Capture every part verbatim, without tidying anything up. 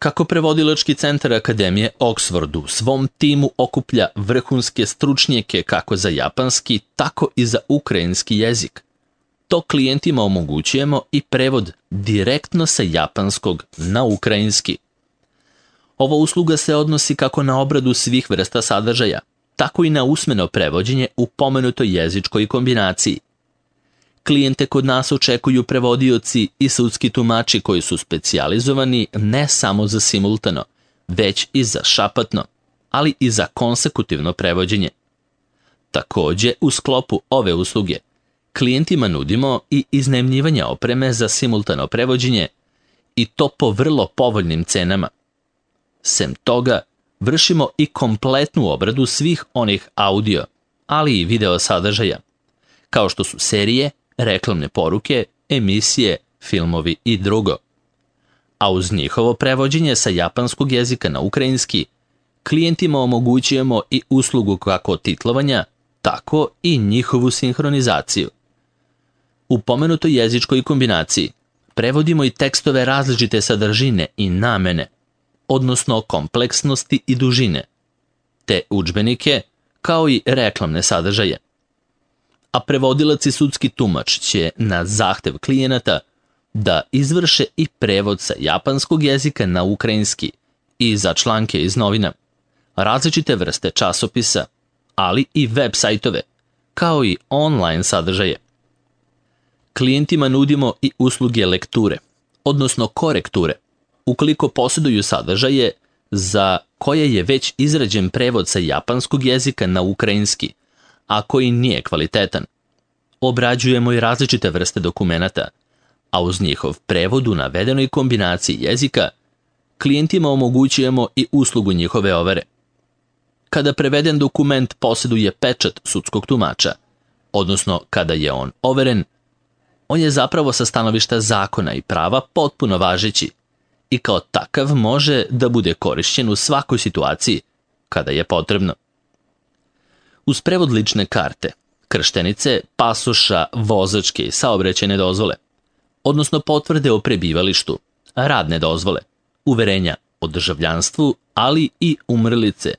Kako prevodilački centar Akademije Oxford u svom timu okuplja vrhunske stručnjake kako za japanski, tako i za ukrajinski jezik, to klijentima omogućujemo i prevod direktno sa japanskog na ukrajinski. Ova usluga se odnosi kako na obradu svih vrsta sadržaja, tako i na usmeno prevođenje u pomenutoj jezičkoj kombinaciji. Klijente kod nas očekuju prevodioci i sudski tumači koji su specijalizovani ne samo za simultano, već i za šapatno, ali i za konsekutivno prevođenje. Takođe, u sklopu ove usluge, klijentima nudimo i iznajmljivanje opreme za simultano prevođenje i to po vrlo povoljnim cenama. Sem toga, vršimo i kompletnu obradu svih onih audio, ali i video sadržaja, kao što su serije, reklamne poruke, emisije, filmovi i drugo. A uz njihovo prevođenje sa japanskog jezika na ukrajinski, klijentima omogućujemo i uslugu kako titlovanja, tako i njihovu sinhronizaciju. U pomenutoj jezičkoj kombinaciji prevodimo i tekstove različite sadržine i namene, odnosno kompleksnosti i dužine, te udžbenike, kao i reklamne sadržaje. A prevodilac i sudski tumač će na zahtev klijenata da izvrše i prevod sa japanskog jezika na ukrajinski i za članke iz novina, različite vrste časopisa, ali i web sajtove, kao i online sadržaje. Klijentima nudimo i usluge lekture, odnosno korekture, ukoliko posjeduju sadržaje za koje je već izrađen prevod sa japanskog jezika na ukrajinski, a koji nije kvalitetan. Obrađujemo i različite vrste dokumenata, a uz njihov prevod u navedenoj kombinaciji jezika, klijentima omogućujemo i uslugu njihove overe. Kada preveden dokument posjeduje pečat sudskog tumača, odnosno kada je on overen, on je zapravo sa stanovišta zakona i prava potpuno važeći i kao takav može da bude korišćen u svakoj situaciji kada je potrebno. Uz prevod lične karte, krštenice, pasoša, vozačke i saobraćajne dozvole, odnosno potvrde o prebivalištu, radne dozvole, uverenja o državljanstvu, ali i umrlice,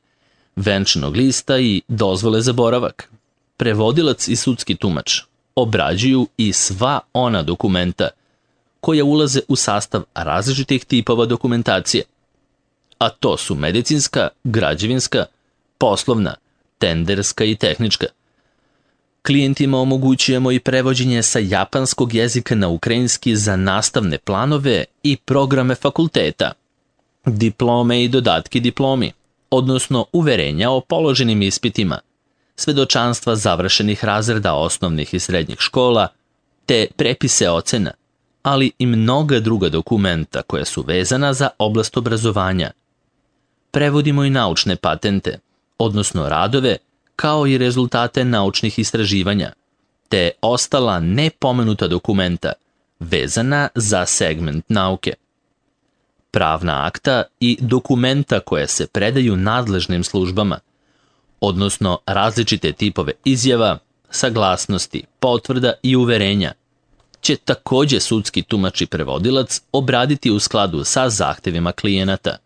venčanog lista i dozvole za boravak, prevodilac i sudski tumač obrađuju i sva ona dokumenta koja ulaze u sastav različitih tipova dokumentacije, a to su medicinska, građevinska, poslovna, tenderska i tehnička. Klijentima omogućujemo i prevođenje sa japanskog jezika na ukrajinski za nastavne planove i programe fakulteta, diplome i dodatki diplomi, odnosno uverenja o položenim ispitima, svedočanstva završenih razreda osnovnih i srednjih škola, te prepise ocena, ali i mnoga druga dokumenta koja su vezana za oblast obrazovanja. Prevodimo i naučne patente, odnosno radove, kao i rezultate naučnih istraživanja, te ostala nepomenuta dokumenta vezana za segment nauke. Pravna akta i dokumenta koje se predaju nadležnim službama, odnosno različite tipove izjava, saglasnosti, potvrda i uverenja, će takođe sudski tumač i prevodilac obraditi u skladu sa zahtevima klijenata.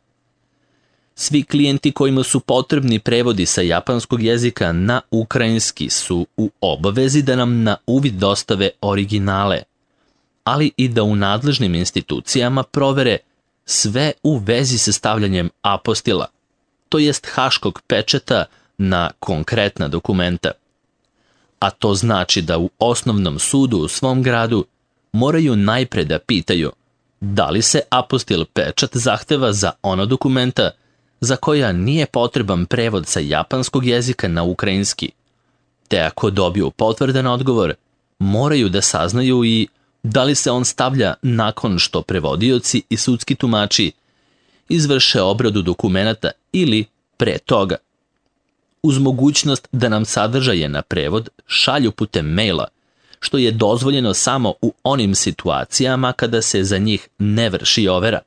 Svi klijenti kojima su potrebni prevodi sa japanskog jezika na ukrajinski su u obavezi da nam na uvid dostave originale, ali i da u nadležnim institucijama provere sve u vezi sa stavljanjem apostila, to jest haškog pečata na konkretna dokumenta. A to znači da u osnovnom sudu u svom gradu moraju najpre da pitaju da li se apostil pečat zahteva za ona dokumenta za koja nije potreban prevod sa japanskog jezika na ukrajinski, te ako dobiju potvrdan odgovor, moraju da saznaju i da li se on stavlja nakon što prevodioci i sudski tumači izvrše obradu dokumenata ili pre toga. Uz mogućnost da nam sadržaje na prevod šalju putem maila, što je dozvoljeno samo u onim situacijama kada se za njih ne vrši overa.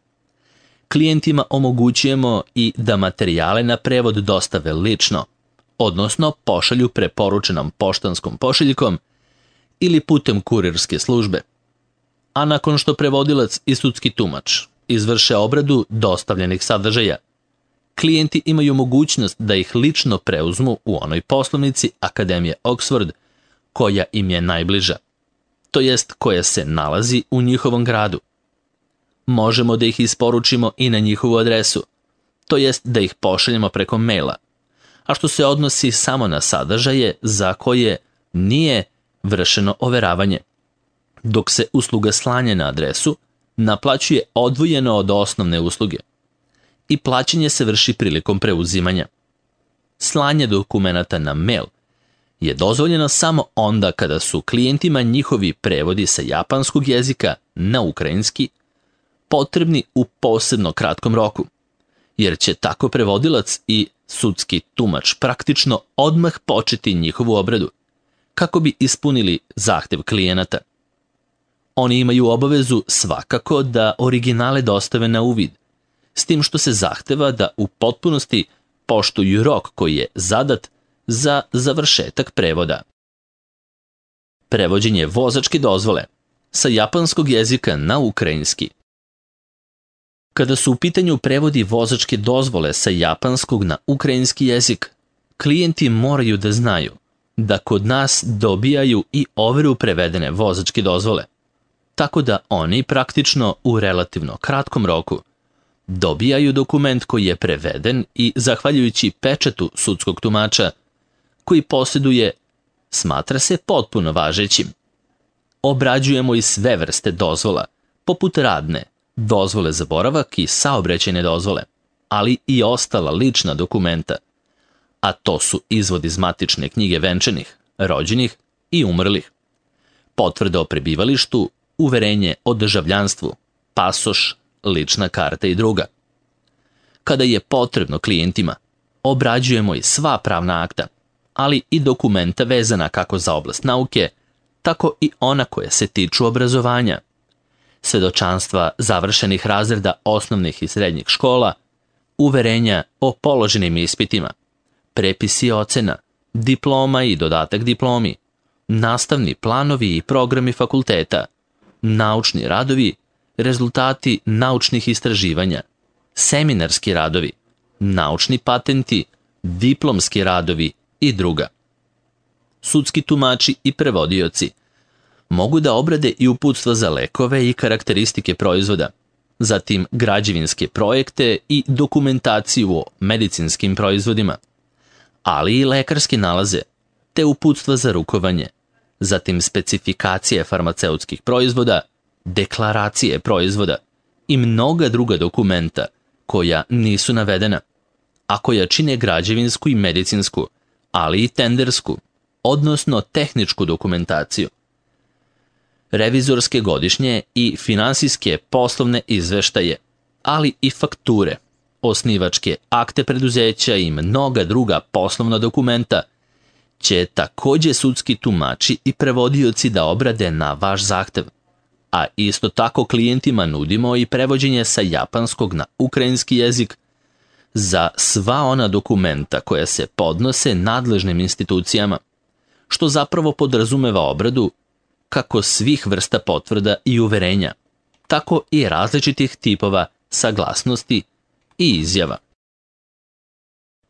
Klijentima omogućujemo i da materijale na prevod dostave lično, odnosno pošalju preporučenom poštanskom pošiljkom ili putem kurirske službe. A nakon što prevodilac i sudski tumač izvrše obradu dostavljenih sadržaja. Klijenti imaju mogućnost da ih lično preuzmu u onoj poslovnici Akademije Oxford koja im je najbliža, to jest koja se nalazi u njihovom gradu. Možemo da ih isporučimo i na njihovu adresu, to jest da ih pošaljemo preko maila, a što se odnosi samo na sadržaje za koje nije vršeno overavanje, dok se usluga slanja na adresu naplaćuje odvojeno od osnovne usluge i plaćanje se vrši prilikom preuzimanja. Slanje dokumenata na mail je dozvoljeno samo onda kada su klijentima njihovi prevodi sa japanskog jezika na ukrajinski potrebni u posebno kratkom roku, jer će tako prevodilac i sudski tumač praktično odmah početi njihovu obradu, kako bi ispunili zahtev klijenata. Oni imaju obavezu svakako da originale dostave na uvid, s tim što se zahteva da u potpunosti poštuju rok koji je zadat za završetak prevoda. Prevođenje vozačke dozvole sa japanskog jezika na ukrajinski. Kada su u pitanju prevodi vozačke dozvole sa japanskog na ukrajinski jezik, klijenti moraju da znaju da kod nas dobijaju i overu prevedene vozačke dozvole, tako da oni praktično u relativno kratkom roku dobijaju dokument koji je preveden i, zahvaljujući pečatu sudskog tumača koji posjeduje, smatra se potpuno važećim. Obrađujemo i sve vrste dozvola, poput radne, dozvole za boravak i saobraćajne dozvole, ali i ostala lična dokumenta, a to su izvod iz matične knjige venčanih, rođenih i umrlih, potvrda o prebivalištu, uverenje o državljanstvu, pasoš, lična karta i druga. Kada je potrebno klijentima, obrađujemo i sva pravna akta, ali i dokumenta vezana kako za oblast nauke, tako i ona koja se tiču obrazovanja, svedočanstva završenih razreda osnovnih i srednjih škola, uverenja o položenim ispitima, prepisi ocena, diploma i dodatak diplomi, nastavni planovi i programi fakulteta, naučni radovi, rezultati naučnih istraživanja, seminarski radovi, naučni patenti, diplomski radovi i druga. Sudski tumači i prevodioci mogu da obrade i uputstva za lekove i karakteristike proizvoda, zatim građevinske projekte i dokumentaciju o medicinskim proizvodima, ali i lekarske nalaze, te uputstva za rukovanje, zatim specifikacije farmaceutskih proizvoda, deklaracije proizvoda i mnoga druga dokumenta koja nisu navedena, a koja čine građevinsku i medicinsku, ali i tendersku, odnosno tehničku dokumentaciju. Revizorske godišnje i finansijske poslovne izveštaje, ali i fakture, osnivačke akte preduzeća i mnoga druga poslovna dokumenta će takođe sudski tumači i prevodioci da obrade na vaš zahtev, a isto tako klijentima nudimo i prevođenje sa japanskog na ukrajinski jezik za sva ona dokumenta koja se podnose nadležnim institucijama, što zapravo podrazumeva obradu kako svih vrsta potvrda i uverenja, tako i različitih tipova saglasnosti i izjava.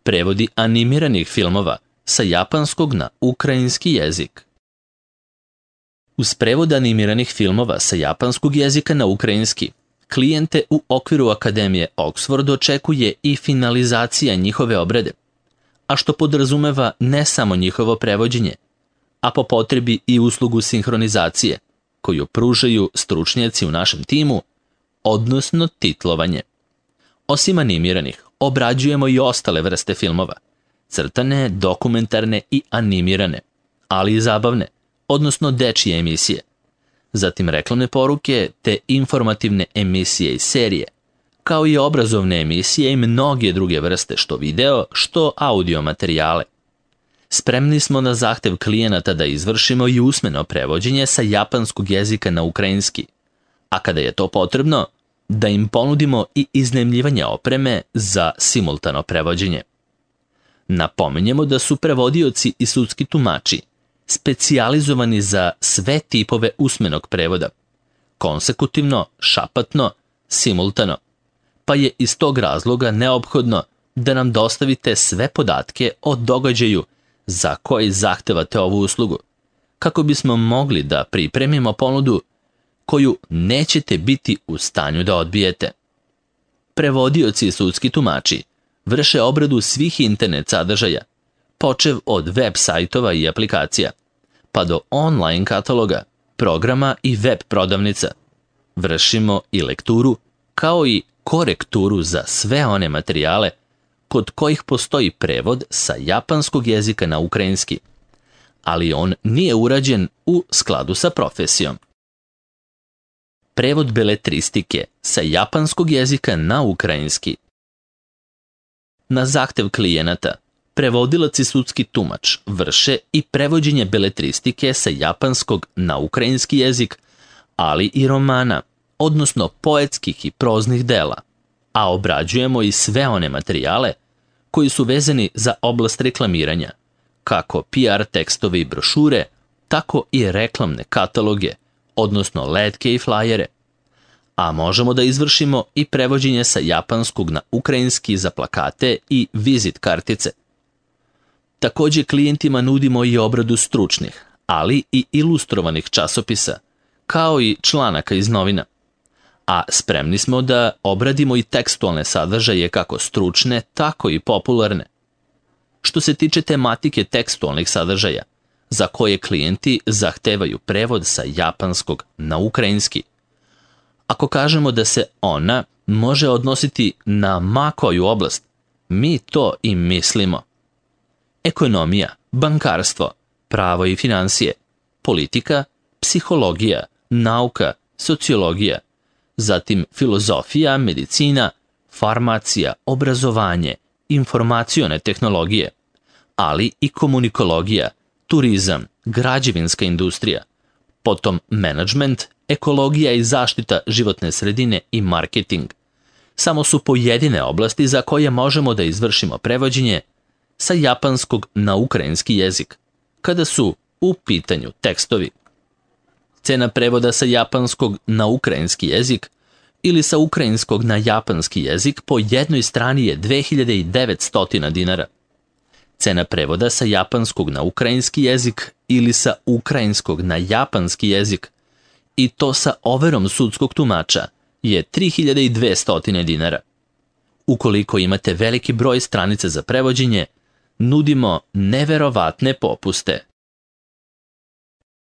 Prevodi animiranih filmova sa japanskog na ukrajinski jezik. Uz prevod animiranih filmova sa japanskog jezika na ukrajinski, klijente u okviru Akademije Oxford očekuje i finalizacija njihove obrade, a što podrazumeva ne samo njihovo prevođenje, a po potrebi i uslugu sinhronizacije, koju pružaju stručnjaci u našem timu, odnosno titlovanje. Osim animiranih, obrađujemo i ostale vrste filmova, crtane, dokumentarne i animirane, ali i zabavne, odnosno dečije emisije, zatim reklamne poruke te informativne emisije i serije, kao i obrazovne emisije i mnoge druge vrste što video, što audio materijale. Spremni smo na zahtev klijenata da izvršimo i usmeno prevođenje sa japanskog jezika na ukrajinski, a kada je to potrebno, da im ponudimo i iznajmljivanje opreme za simultano prevođenje. Napominjemo da su prevodioci i sudski tumači specijalizovani za sve tipove usmenog prevoda, konsekutivno, šapatno, simultano, pa je iz tog razloga neophodno da nam dostavite sve podatke o događaju za koji zahtevate ovu uslugu, kako bismo mogli da pripremimo ponudu koju nećete biti u stanju da odbijete. Prevodioci i sudski tumači vrše obradu svih internet sadržaja, počev od web sajtova i aplikacija, pa do online kataloga, programa i web prodavnica. Vršimo i lekturu, kao i korekturu za sve one materijale kod kojih postoji prevod sa japanskog jezika na ukrajinski, ali on nije urađen u skladu sa profesijom. Prevod beletristike sa japanskog jezika na ukrajinski. Na zahtev klijenata, prevodilac i sudski tumač vrše i prevođenje beletristike sa japanskog na ukrajinski jezik, ali i romana, odnosno poetskih i proznih dela, a obrađujemo i sve one materijale koji su vezani za oblast reklamiranja, kako P R tekstove i brošure, tako i reklamne kataloge, odnosno letke i flajere, a možemo da izvršimo i prevođenje sa japanskog na ukrajinski za plakate i vizit kartice. Također klijentima nudimo i obradu stručnih, ali i ilustrovanih časopisa, kao i članaka iz novina. A spremni smo da obradimo i tekstualne sadržaje kako stručne, tako i popularne. Što se tiče tematike tekstualnih sadržaja, za koje klijenti zahtevaju prevod sa japanskog na ukrajinski. Ako kažemo da se ona može odnositi na ma koju oblast, mi to i mislimo. Ekonomija, bankarstvo, pravo i financije, politika, psihologija, nauka, sociologija, zatim filozofija, medicina, farmacija, obrazovanje, informacione tehnologije, ali i komunikologija, turizam, građevinska industrija, potom menadžment, ekologija i zaštita životne sredine i marketing. Samo su pojedine oblasti za koje možemo da izvršimo prevođenje sa japanskog na ukrajinski jezik, kada su u pitanju tekstovi. Cena prevoda sa japanskog na ukrajinski jezik ili sa ukrajinskog na japanski jezik po jednoj strani je dve hiljade devetsto dinara. Cena prevoda sa japanskog na ukrajinski jezik ili sa ukrajinskog na japanski jezik, i to sa overom sudskog tumača, je tri hiljade dvesta dinara. Ukoliko imate veliki broj stranica za prevođenje, nudimo neverovatne popuste.